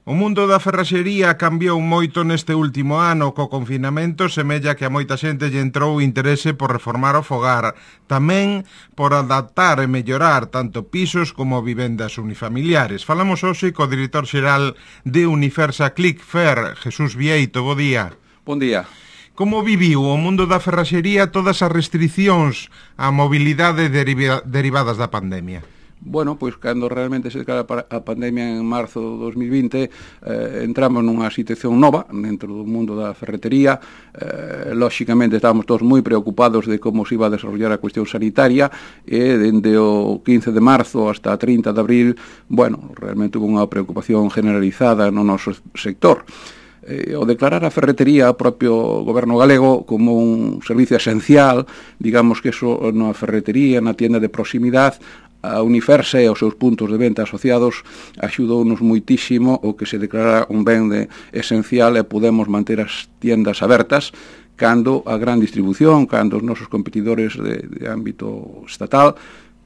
O mundo da ferraxería cambiou moito neste último ano. Co confinamento semella que a moita xente lle entrou o interese por reformar o fogar, tamén por adaptar e mellorar tanto pisos como vivendas unifamiliares. Falamos hoxe co director xeral de Unifersa Clicfer, Jesús Vieito. Bo día. Bon día. Como viviu o mundo da ferraxería todas as restriccións á mobilidade derivadas da pandemia? Bueno, pois cando realmente se declara a pandemia en marzo de 2020 entramos nunha situación nova dentro do mundo da ferretería. Lóxicamente estábamos todos moi preocupados de como se iba a desarrollar a cuestión sanitaria e dende o 15 de marzo hasta 30 de abril, bueno, realmente hubo unha preocupación generalizada no noso sector. O declarar a ferretería ao propio goberno galego como un servicio esencial, digamos que eso na ferretería, na tienda de proximidade, a Unifersa e os seus puntos de venta asociados axudounos moitísimo o que se declarara un ben esencial e podemos manter as tiendas abertas cando a gran distribución, cando os nosos competidores de ámbito estatal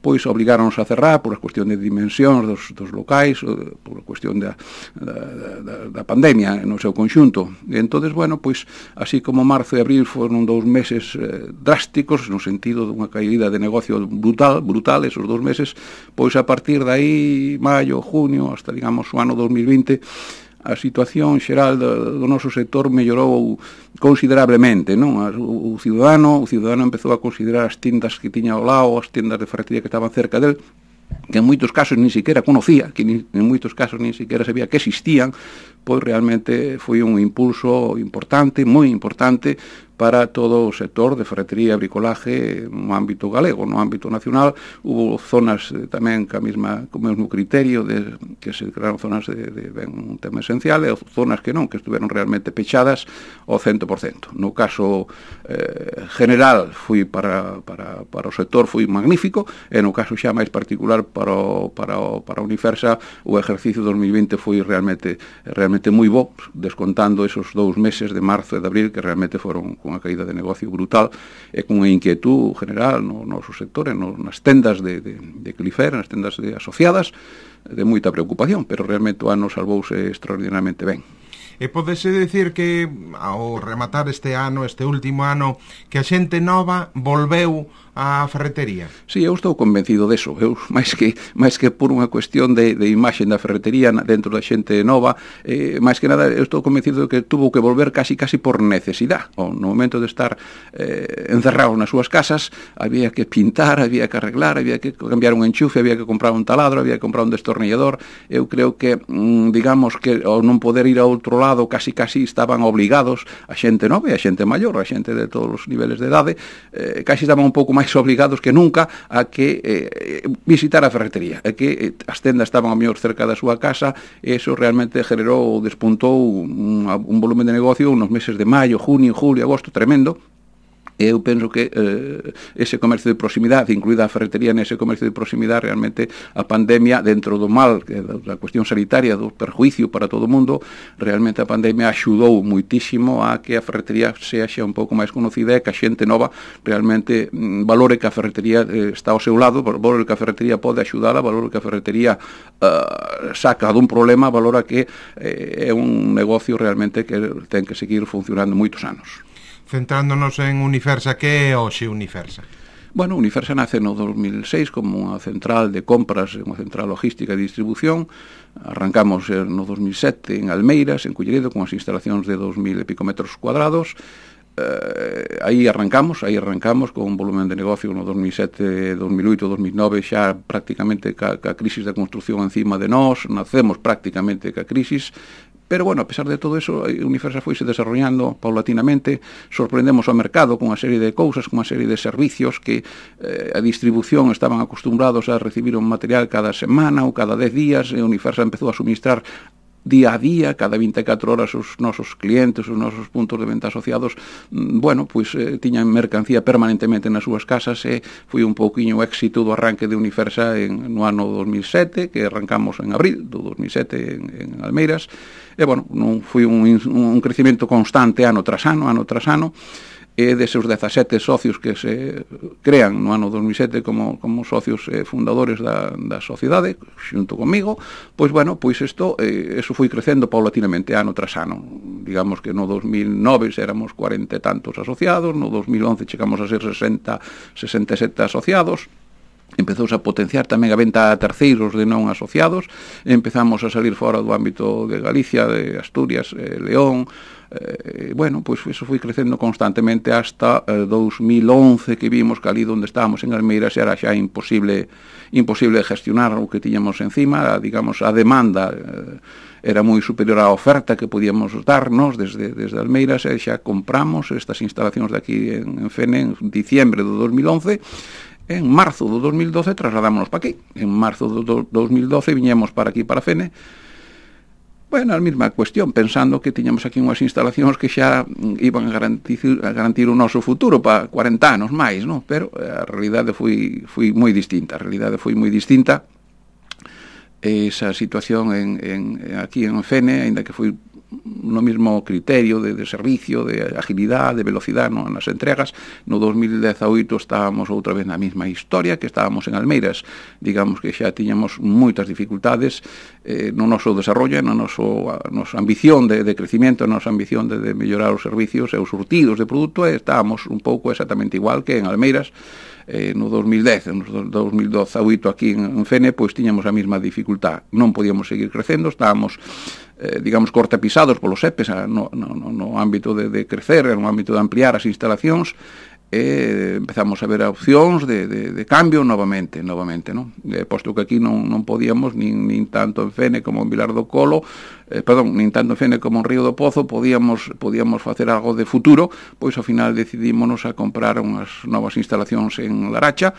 pois obligáronos a cerrar por a cuestión de dimensións dos locais, por a cuestión da pandemia no seu conxunto. E entonces, bueno, pois, así como marzo e abril foron 2 meses drásticos, no sentido dunha caída de negocio brutal, esos 2 meses, pois a partir de aí, maio, junio, hasta, digamos, o ano 2020, a situación xeral do noso sector mellorou considerablemente, non? O cidadano empezou a considerar as tiendas que tiña ao lado, as tiendas de ferretería que estaban cerca del, que en moitos casos nin siquiera conocía, que en moitos casos nin siquiera sabía que existían, pois realmente foi un impulso importante, moi importante, para todo o sector de ferretería e bricolaje no ámbito galego. No ámbito nacional hubo zonas tamén co mesmo criterio de que se declararon zonas de ben un tema esencial e zonas que non, que estuveron realmente pechadas ao 100%. No caso general foi para o sector foi magnífico e no caso xa máis particular para Unifersa o exercicio 2020 foi realmente moi bo, descontando esos 2 meses de marzo e de abril que realmente foron con unha caída de negocio brutal e con unha inquietud general no noso sector, nas tendas de Clicfer, nas tendas asociadas, de moita preocupación, pero realmente o ano salvouse extraordinariamente ben. E podese decir que ao rematar este último ano, que a xente nova volveu á ferretería? Sí, eu estou convencido deso. Eu, máis que por unha cuestión de imaxe da ferretería dentro da xente nova, máis que nada, eu estou convencido de que tuvo que volver casi por necesidade. No momento de estar encerrados nas súas casas, había que pintar, había que arreglar, había que cambiar un enchufe, había que comprar un taladro, había que comprar un destornillador. Eu creo que, digamos que ao non poder ir a outro lado, casi estaban obligados a xente nova e a xente maior, a xente de todos os niveles de idade, casi estaban un pouco máis obligados que nunca a que visitar a ferretería, e que as tendas estaban ao mellor cerca da súa casa, e iso realmente despuntou un volumen de negocio nos meses de maio, junio, julio, agosto, tremendo. Eu penso que ese comercio de proximidade, incluída a ferretería nese comercio de proximidade, realmente a pandemia, dentro do mal, da cuestión sanitaria, do perjuicio para todo o mundo, realmente a pandemia axudou moitísimo a que a ferretería sexa un pouco máis conocida e que a xente nova realmente valore que a ferretería está ao seu lado, valore que a ferretería pode axudala, valore que a ferretería saca dun problema, valora que é un negocio realmente que ten que seguir funcionando moitos anos. Centrándonos en Unifersa, que é hoxe Unifersa? Bueno, Unifersa nace no 2006 como unha central de compras, unha central logística e distribución. Arrancamos no 2007 en Almeiras, en Culleredo, con as instalacións de 2.000 e pico metros cuadrados. Aí arrancamos con un volumen de negocio no 2007, 2008, 2009 xa prácticamente ca crisis da construcción encima de nós, nacemos prácticamente ca crisis. Pero, bueno, a pesar de todo eso, Unifersa foise desarrollando paulatinamente, sorprendemos ao mercado con unha serie de cousas, con unha serie de servicios que a distribución estaban acostumbrados a recibir un material cada semana ou cada 10 días, e Unifersa empezou a suministrar día a día, cada 24 horas os nosos clientes, os nosos puntos de venta asociados, bueno, pois tiñan mercancía permanentemente nas súas casas e foi un pouquiño o éxito do arranque de Unifersa no ano 2007, que arrancamos en abril do 2007 en Almeiras, e, bueno, non foi un crecimento constante ano tras ano, e deses 17 socios que se crean no ano 2007 como socios fundadores da sociedade, xunto comigo, pois, bueno, pois isto, eso foi crecendo paulatinamente ano tras ano. Digamos que no 2009 éramos 40 e tantos asociados, no 2011 chegamos a ser 67 asociados, empezouse a potenciar tamén a venta a terceiros de non asociados, empezamos a salir fora do ámbito de Galicia, de Asturias, León, bueno, pois eso foi crecendo constantemente hasta 2011, que vimos que ali onde estábamos en Almeiras era xa imposible gestionar o que tiñamos encima, digamos, a demanda era moi superior á oferta que podíamos darnos desde Almeiras, e xa compramos estas instalacións de aquí en Fene en diciembre do 2011. En marzo do 2012 trasladámonos para aquí. En marzo do 2012 viñemos para aquí, para Fene. Bueno, a mesma cuestión, pensando que tiñamos aquí unhas instalacións que xa iban a garantir o noso futuro para 40 anos máis, non? Pero a realidade foi moi distinta. Esa situación aquí en Fene, aínda que foi no mesmo criterio de servicio, de agilidade, de velocidade nas entregas, no 2018 estábamos outra vez na mesma historia que estábamos en Almeiras. Digamos que xa tiñamos moitas dificultades no noso desarrollo, na nosa ambición de crecimiento, na nosa ambición de mellorar os servicios e os surtidos de produto, e estábamos un pouco exactamente igual que en Almeiras. No 2010, no 2018 aquí en Fene, pois tiñamos a mesma dificultad, non podíamos seguir crecendo, estábamos digamos cortapisados polos EPEs no ámbito de crecer, no ámbito de ampliar as instalacións, e empezamos a ver opcións de cambio novamente, non? Posto que aquí non podíamos, nin tanto en Fene como en Vilar do Colo, nin tanto en Fene como en Río do Pozo podíamos facer algo de futuro, pois ao final decidímonos a comprar unhas novas instalacións en Laracha,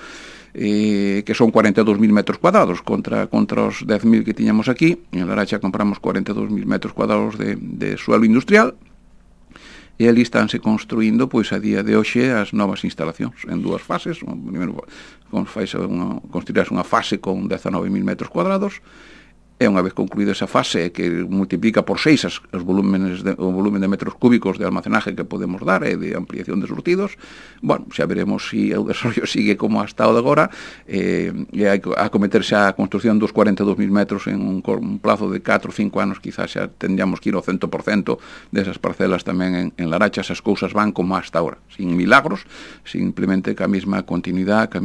que son 42.000 metros cuadrados contra os 10.000 que tiñamos aquí. En Laracha compramos 42.000 metros cuadrados de suelo industrial, e ali estánse construindo, pois, a día de hoxe as novas instalacións en dúas fases. Primeiro construirás unha fase con 19.000 metros cuadrados, e unha vez concluída esa fase que multiplica por 6 o volumen de metros cúbicos de almacenaje que podemos dar e de ampliación de surtidos, bueno, xa veremos se o desarrollo sigue como hasta o de agora, e a cometerse a construcción dos 42.000 metros en un plazo de 4 ou 5 anos, quizás xa tendríamos que ir ao 100% desas parcelas tamén en Laracha. Esas cousas van como hasta agora, sin milagros, simplemente ca mesma continuidade, co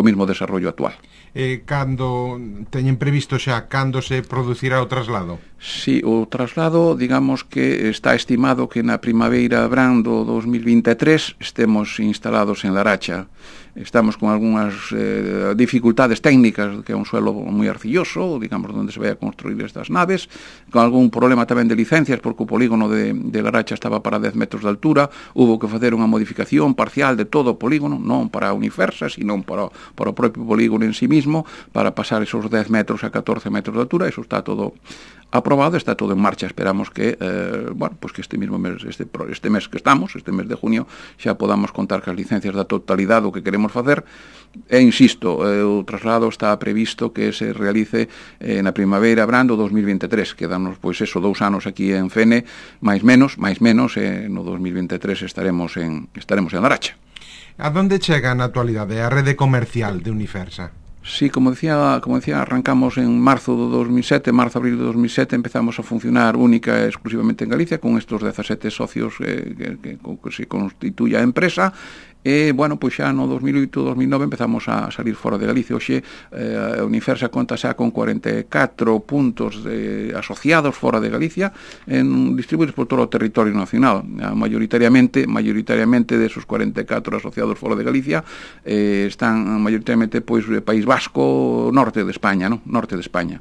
mesmo desarrollo actual. Cando teñen previsto xa cando se producirá o traslado? Sí, o traslado, digamos que está estimado que na primavera verán do 2023 estemos instalados en Laracha. Estamos con algunhas dificultades técnicas, que é un suelo moi arcilloso, digamos, onde se vai a construir estas naves, con algún problema tamén de licencias, porque o polígono de Laracha estaba para 10 metros de altura, hubo que facer unha modificación parcial de todo o polígono, non para a Unifersa, sino para o propio polígono en sí mismo, para pasar esos 10 metros a 14 metros de altura. Eso está todo aprobado, está todo en marcha. Esperamos que, bueno, pues que este mesmo mes, este mes que estamos, este mes de junio, xa podamos contar cas licencias da totalidade do que queremos facer. E insisto, o traslado está previsto que se realice na primavera brando 2023. Quedanos, pois, 2 anos aquí en Fene, máis menos, no 2023 estaremos en Laracha. A donde chega na actualidade a rede comercial de Unifersa? Sí, como decía, arrancamos en marzo-abril de 2007, empezamos a funcionar única e exclusivamente en Galicia, con estos 17 socios que se constituye a empresa. E, bueno, pois xa no 2008-2009 empezamos a salir fora de Galicia. Hoxe a Unifersa conta xa con 44 puntos asociados fora de Galicia, distribuídos por todo o territorio nacional. Mayoritariamente desos 44 asociados fora de Galicia están mayoritariamente, pois, País Vasco, norte de España, non? Norte de España.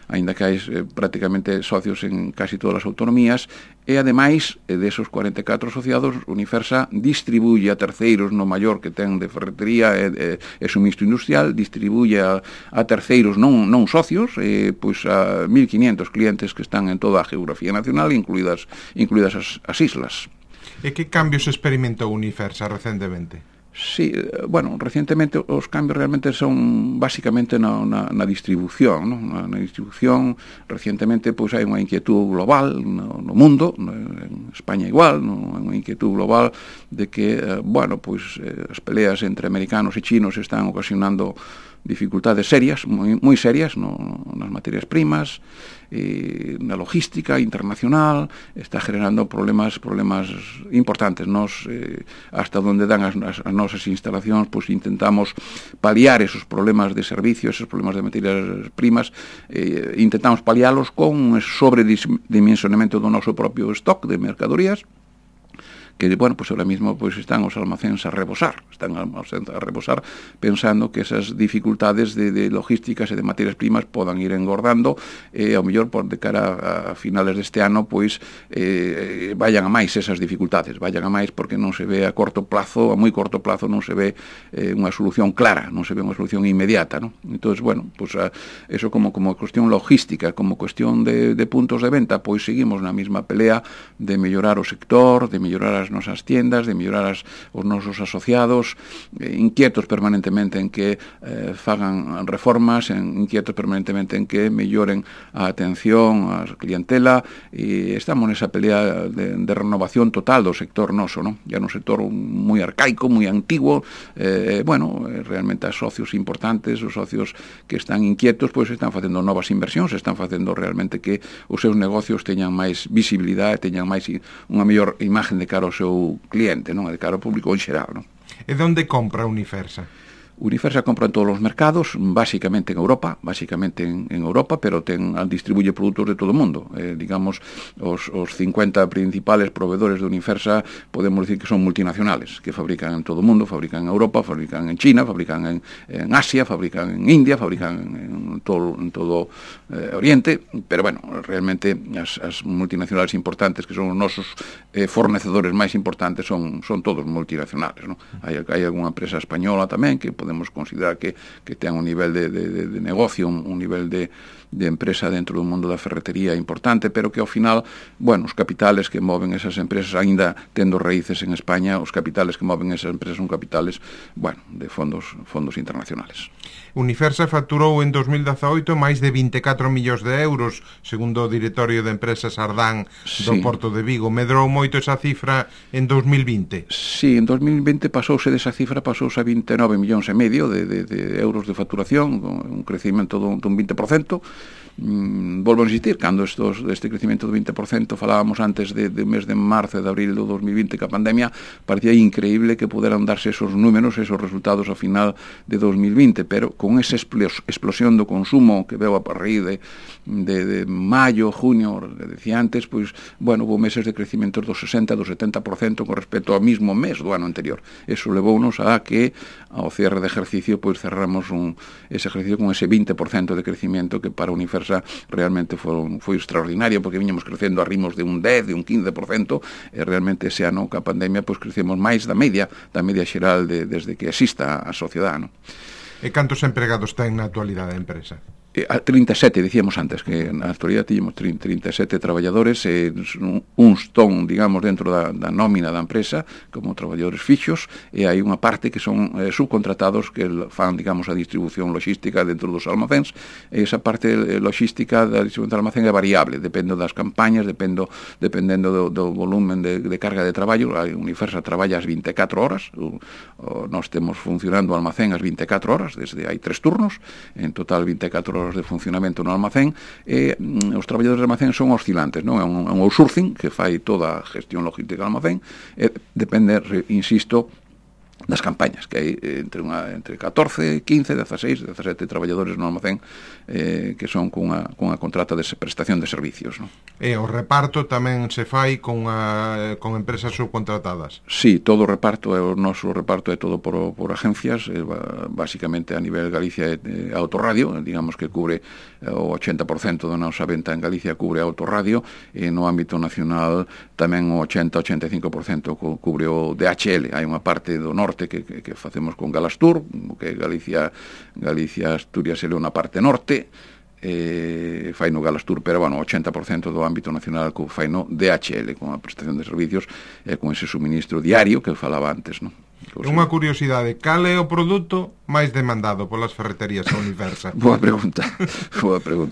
Aínda que hai prácticamente socios en casi todas as autonomías, e ademais desos 44 asociados, Unifersa distribuye a terceiros no maior que ten de ferretería e suministro industrial, distribuye a terceiros non socios, pois a 1.500 clientes que están en toda a geografía nacional, incluídas as islas. E que cambios experimentou Unifersa recentemente? Sí, bueno, recientemente os cambios realmente son basicamente na distribución, non? Na distribución, recientemente, pois hai unha inquietud global no mundo, España igual, non? É unha inquietud global de que, bueno, pois as peleas entre americanos e chinos están ocasionando dificultades serias, moi serias nas materias primas, na logística internacional, está generando problemas importantes. Nos, hasta onde dan as nosas instalacións, pois intentamos paliar esos problemas de servicio, esos problemas de materias primas, intentamos palialos con un sobredimensionamento do noso propio stock de mercadorías, que, bueno, pues ahora mismo pues están os almacéns a rebosar, pensando que esas dificultades de logísticas e de materias primas podan ir engordando e ao mellor por de cara a finales deste ano pois vayan a máis esas dificultades, porque non se ve a corto plazo, a moi corto plazo non se ve unha solución clara, non se ve unha solución inmediata, ¿no? Entonces, bueno, pues eso como cuestión logística, como cuestión de puntos de venta, pois seguimos na mesma pelea de mellorar o sector, de mellorar as nosas tiendas, de mellorar os nosos asociados, inquietos permanentemente en que fagan reformas, inquietos permanentemente en que melloren a atención á clientela, e estamos nesa pelea de renovación total do sector noso, ¿no? Ya un sector moi arcaico, moi antiguo, bueno, realmente as socios importantes, os socios que están inquietos, pois están facendo novas inversións, están facendo realmente que os seus negocios teñan máis visibilidade, teñan máis unha mellor imagen de cara ao seu cliente, non? De cara ao público en xeral, non? E onde compra Unifersa? Unifersa compra en todos os mercados, básicamente en Europa, pero distribuye produtos de todo o mundo. Digamos, os 50 principales proveedores de Unifersa podemos decir que son multinacionales, que fabrican en todo o mundo, fabrican en Europa, fabrican en China, fabrican en Asia, fabrican en India, fabrican en todo Oriente, pero bueno, realmente as multinacionales importantes, que son os nosos fornecedores máis importantes, son todos multinacionales, ¿no? Hai algunha empresa española tamén que podemos considerar que ten un nivel de negocio, un nivel de empresa dentro do mundo da ferretería importante, pero que ao final, bueno, os capitales que moven esas empresas, aínda tendo raíces en España, os capitales que moven esas empresas son capitales, bueno, de fondos internacionales. Unifersa facturou en 2018 máis de 24 millóns de euros, segundo o directorio de empresas Ardán do Porto de Vigo. Medrou moito esa cifra en 2020? Sí, en 2020 pasouse desa cifra, pasouse a 29 millóns e medio de euros de facturación, con un crecimento dun 20%. Volvo a insistir, cando este crecimento do 20% falábamos antes do mes de marzo e de abril do 2020 que a pandemia, parecía increíble que puderan darse esos números, esos resultados ao final de 2020, pero con esa explosión do consumo que veo a partir de maio, junio, que decía antes, pois, bueno, hubo meses de crecimiento do 60, do 70% con respecto ao mismo mes do ano anterior. Eso levounos a que ao cierre de ejercicio, pois cerramos ese ejercicio con ese 20% de crecimiento que para Unifersa realmente foi extraordinario, porque viñamos crecendo a ritmos de un 10, de un 15%, e realmente ese ano que a pandemia pois crecemos máis da media xeral desde que exista a sociedade, non? E cantos empregados ten na actualidade a empresa? 37, dicíamos antes, que na actualidade tínhamos 37 traballadores, uns ton, digamos, dentro da nómina da empresa, como traballadores fixos, e hai unha parte que son subcontratados que fan, digamos, a distribución logística dentro dos almacéns, e esa parte logística da distribución do almacén é variable, depende das campañas, dependendo do volumen de carga de traballo. A Unifersa traballa as 24 horas, nós temos funcionando o almacén as 24 horas, desde hai 3 turnos, en total 24 horas de funcionamento no almacén, e os traballadores de almacén son oscilantes, non? É un outsourcing que fai toda a gestión logística do almacén, e depende, insisto, das campañas, que hai entre 14, 15, 16, 17 traballadores no almacén que son cunha contrata de prestación de servicios, non? E o reparto tamén se fai con empresas subcontratadas? Sí, todo o reparto, o noso reparto é todo por agencias, basicamente a nivel Galicia é Autorradio, digamos que cubre o 80% da nosa venta en Galicia cubre Autorradio, e no ámbito nacional tamén o 80-85% cubre o DHL. Hai unha parte do norte que facemos con Galastur, que Galicia, Asturias e León na parte norte, fai no Galastur, pero bueno, 80% do ámbito nacional fai no DHL, con a prestación de servicios e con ese suministro diario que falaba antes, non? Unha curiosidade, cal é o produto máis demandado polas ferreterías a Universa? Boa pregunta,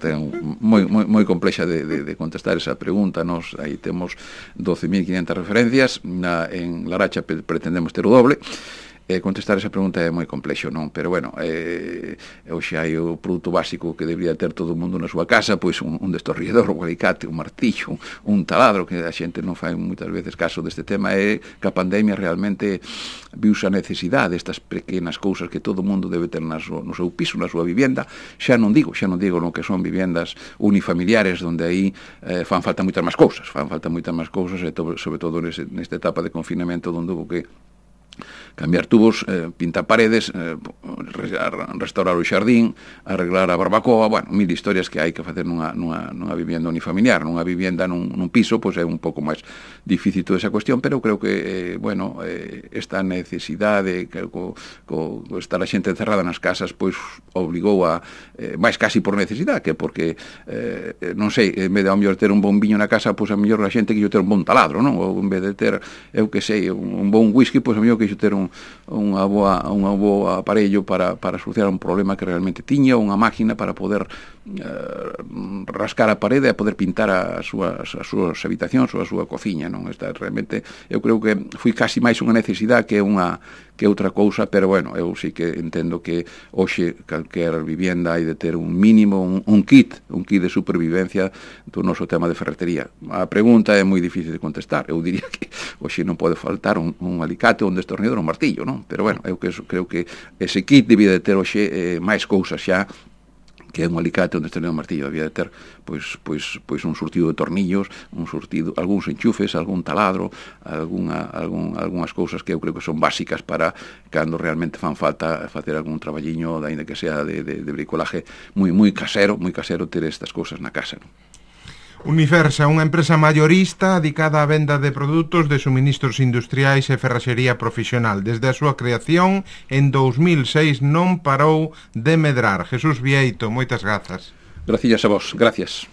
é moi complexa de contestar esa pregunta. Nos aí temos 12.500 referencias, en Laracha pretendemos ter o doble. Contestar esa pregunta é moi complexo, non? Pero bueno, hoxe hai o produto básico que debería ter todo o mundo na súa casa, pois un destornillador, un alicate, un martillo, un taladro, que a xente non fai moitas veces caso deste tema. É que a pandemia realmente viuse a necesidade destas pequenas cousas que todo o mundo debe ter no seu piso, na súa vivenda. Xa non digo no que son vivendas unifamiliares, onde aí fan falta moitas máis cousas, e sobre todo nesta etapa de confinamento, onde hubo que cambiar tubos, pintar paredes, restaurar o xardín, arreglar a barbacoa, bueno, mil historias que hai que facer nunha vivenda unifamiliar. Nunha vivenda nun piso, pois é un pouco máis difícil toda esa cuestión, pero creo que, bueno, esta necesidade, estar a xente encerrada nas casas, pois obligou a, máis casi por necesidade, que porque, non sei, en vez de ao mellor ter un bon viño na casa, pois a mellor a xente quixo ter un bon taladro, non? Ou en vez de ter, eu que sei, un bon whisky, pois a mellor quixo ter un boa aparello para solucionar un problema que realmente tiña, unha máquina para poder rascar a parede e poder pintar as súas habitacións ou a súa cociña, non? Esta realmente, eu creo que foi casi máis unha necesidade que outra cousa, pero bueno, eu sí que entendo que hoxe calquer vivienda hai de ter un mínimo, un kit de supervivencia do noso tema de ferretería. A pregunta é moi difícil de contestar. Eu diría que hoxe non pode faltar un alicate, un destornillador, un martillo, non? Pero bueno, eu creo que ese kit debía de ter hoxe máis cousas xa que é un alicate, un destornillador, un martillo. Debía de ter pois un surtido de tornillos, algúns enchufes, algún taladro, algunhas cousas que eu creo que son básicas para cando realmente fan falta facer algún traballiño, aínda que sea de bricolaje moi casero, ter estas cousas na casa, non? Universa, unha empresa maiorista dedicada á venda de produtos de suministros industriais e ferraxería profesional. Desde a súa creación en 2006 non parou de medrar. Jesús Vieito, moitas grazas. Gracias a vos, gracias.